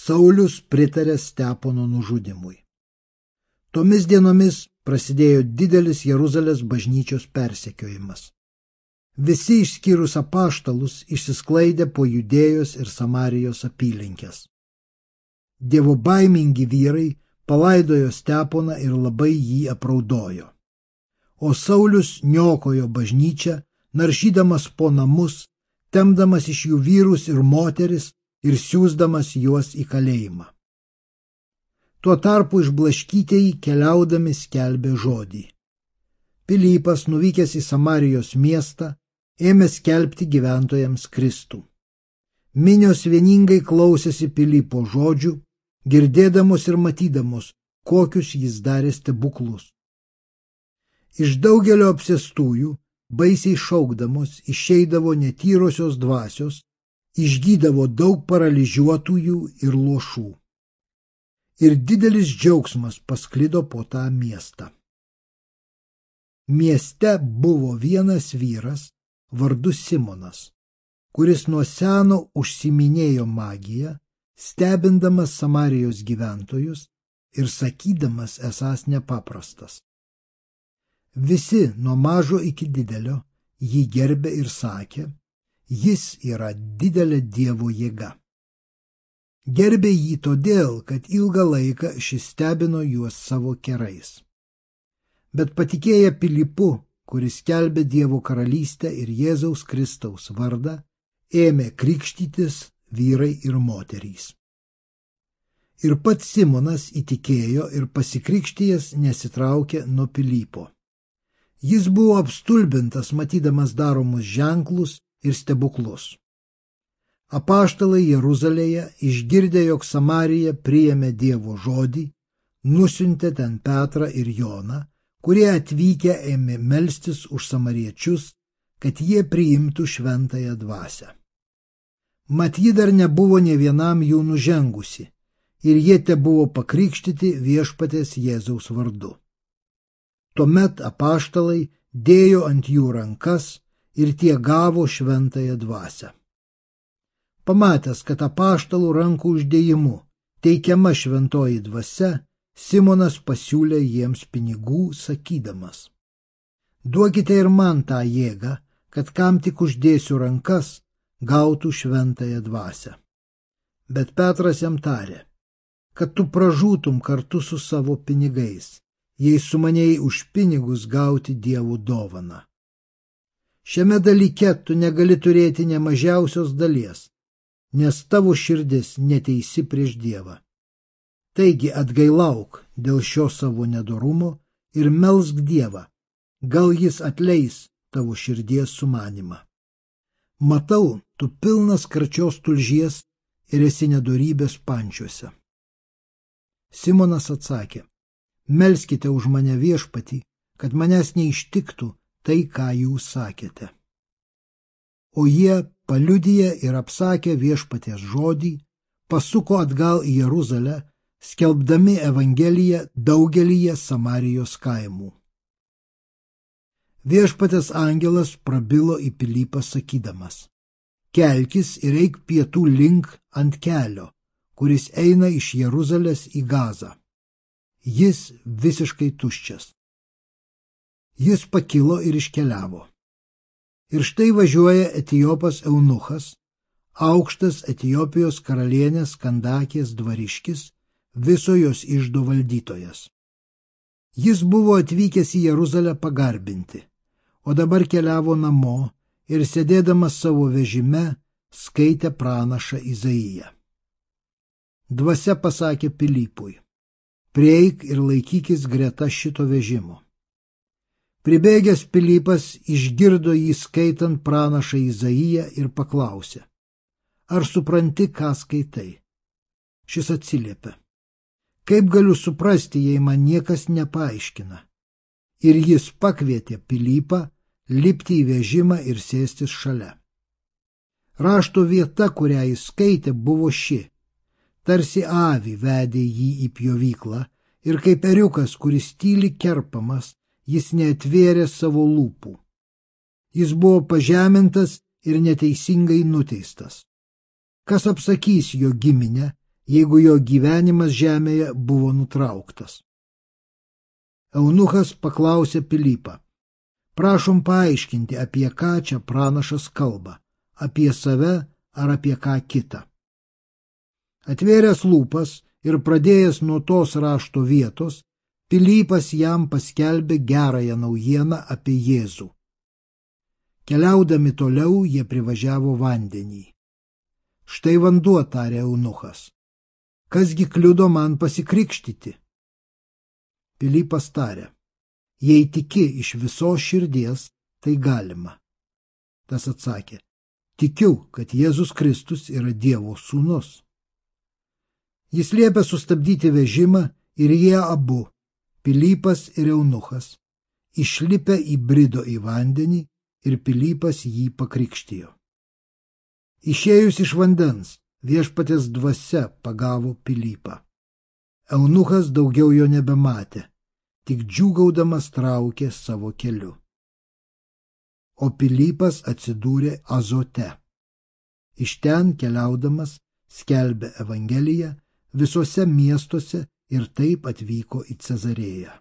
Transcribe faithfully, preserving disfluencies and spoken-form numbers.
Saulius pritarė Stepono nužudimui. Tomis dienomis prasidėjo didelis Jeruzalės bažnyčios persekiojimas. Visi išskyrus apaštalus išsisklaidė po Judėjos ir Samarijos apylinkes. Dievobaimingi vyrai palaidojo Steponą ir labai jį apraudojo. O Saulius niokojo bažnyčią, naršydamas po namus, temdamas iš jų vyrus ir moteris ir siųsdamas juos į kalėjimą. Tuo tarpu išblaškytieji keliaudami skelbė žodį. Pilypas, nuvykęs į Samarijos miestą, ėmė skelbti gyventojams Kristų. Minios vieningai klausėsi Pilypo žodžių, girdėdamos ir matydamos, kokius jis darė stebuklus. Iš daugelio apsėstųjų, baisiai šaukdamos, išeidavo netyrosios dvasios, išgydavo daug paralyžiuotųjų ir luošų. Ir didelis džiaugsmas pasklido po tą miestą. Mieste buvo vienas vyras, vardu Simonas, kuris nuo seno užsiminėjo magiją, stebindamas Samarijos gyventojus ir sakydamas esąs nepaprastas. Visi nuo mažo iki didelio jį gerbė ir sakė, jis yra didelė Dievo jėga. Gerbė jį todėl, kad ilgą laiką šis stebino juos savo kerais. Bet patikėję Pilypu, kuris skelbė Dievo karalystę ir Jėzaus Kristaus vardą, ėmė krikštytis vyrai ir moterys. Ir pats Simonas įtikėjo ir pasikrikštijęs nesitraukė nuo Pilypo. Jis buvo apstulbintas, matydamas daromus ženklus ir stebuklus. Apaštalai Jeruzalėje, išgirdę, jog Samarija priėmė Dievo žodį, nusiuntė ten Petrą ir Joną, kurie atvykę ėmė melstis už samariečius, kad jie priimtų šventąją dvasią. Mat ji dar nebuvo nė vienam jų nužengusi, ir jie tebuvo pakrikštyti viešpaties Jėzaus vardu. Tuomet apaštalai dėjo ant jų rankas ir tie gavo šventąją dvasią. Pamatęs, kad apaštalų rankų uždėjimu teikiama šventoji dvasia, Simonas pasiūlė jiems pinigų, sakydamas: duokite ir man tą jėgą, kad kam tik uždėsiu rankas, gautų šventąją dvasią. Bet Petras jam tarė, kad tu pražūtum kartu su savo pinigais, jei sumanėjai už pinigus gauti Dievo dovaną. Šiame dalyke tu negali turėti ne mažiausios dalies, nes tavo širdis neteisi prieš Dievą. Taigi atgailauk dėl šio savo nedorumo ir melsk Dievą, gal jis atleis tavo širdies sumanimą. Matau, tu pilnas karčios tulžies ir esi nedorybės pančiuose. Simonas atsakė: melskite už mane viešpatį, kad manęs neištiktų tai, ką jūs sakėte. O jie, paliudiję ir apsakę viešpaties žodį, pasuko atgal į Jeruzalę, skelbdami Evangeliją daugelyje Samarijos kaimų. Viešpaties angelas prabilo į Pilypą sakydamas: kelkis ir eik pietų link ant kelio, kuris eina iš Jeruzalės į Gazą. Jis visiškai tuščias. Jis pakilo ir iškeliavo. Ir štai važiuoja Etiopas eunuchas, aukštas Etiopijos karalienės Kandakės dvariškis, viso jos iždo valdytojas. Jis buvo atvykęs į Jeruzalę pagarbinti, o dabar keliavo namo ir sėdėdamas savo vežime skaitė pranašą Izaiją. Dvasia pasakė Pilypui: prieik ir laikykis greta šito vežimo. Pribėgęs Pilypas išgirdo jį skaitant pranašą Izaiją ir paklausė: ar supranti, ką skaitai? Šis atsiliepė: kaip galiu suprasti, jei man niekas nepaaiškina? Ir jis pakvietė Pilypą lipti į vežimą ir sėstis šalia. Rašto vieta, kurią jis skaitė, buvo ši: tarsi avį vedė jį į pjovyklą ir kaip ėriukas, kuris tyli kerpamas, jis neatvėrė savo lūpų. Jis buvo pažemintas ir neteisingai nuteistas. Kas apsakys jo giminę, jeigu jo gyvenimas žemėje buvo nutrauktas. Eunuchas paklausė Pilypą: prašom paaiškinti, apie ką čia pranašas kalba, apie save ar apie ką kitą. Atvėręs lūpas ir pradėjęs nuo tos rašto vietos, Pilypas jam paskelbė gerąją naujieną apie Jėzų. Keliaudami toliau jie privažiavo vandenį. Štai vanduo, tarė eunuchas. Kasgi kliudo man pasikrikštyti? Pilypas tarė: jei tiki iš visos širdies, tai galima. Tas atsakė: tikiu, kad Jėzus Kristus yra Dievo sūnus. Jis liepė sustabdyti vežimą ir jie abu, Pilypas ir eunuchas, išlipę įbrido į vandenį ir Pilypas jį pakrikštijo. Išėjus iš vandens, viešpaties dvasia pagavo Pilypą. Eunuchas daugiau jo nebematė, tik džiūgaudamas traukė savo keliu. O Pilypas atsidūrė Azote. Iš ten keliaudamas skelbė evangeliją visuose miestuose ir taip atvyko į Cezarėją.